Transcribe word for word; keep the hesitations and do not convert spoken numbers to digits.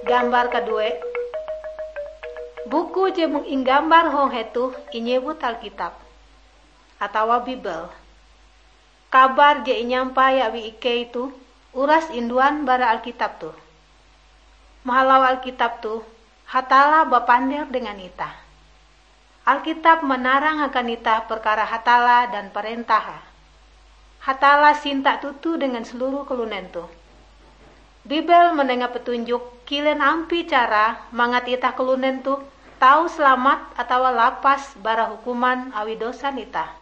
Gambar kadue, buku je mung inggambar hong hetoh inyewut Alkitab atawa Bibel. Kabar je inyampai awi ikei toh uras induan bara Alkitab toh. Mahalau Alkitab toh, Hatalla bapander dengan itah. Alkitab manarang akan itah perkara Hatalla dan parentahe. Hatalla sinta toto dengan seluruh kalunen toh. Bibel manenga petunjuk kilen ampie cara mangat itah kalunen toh tau salamat atawa lapas bara hukuman awi dosan itah.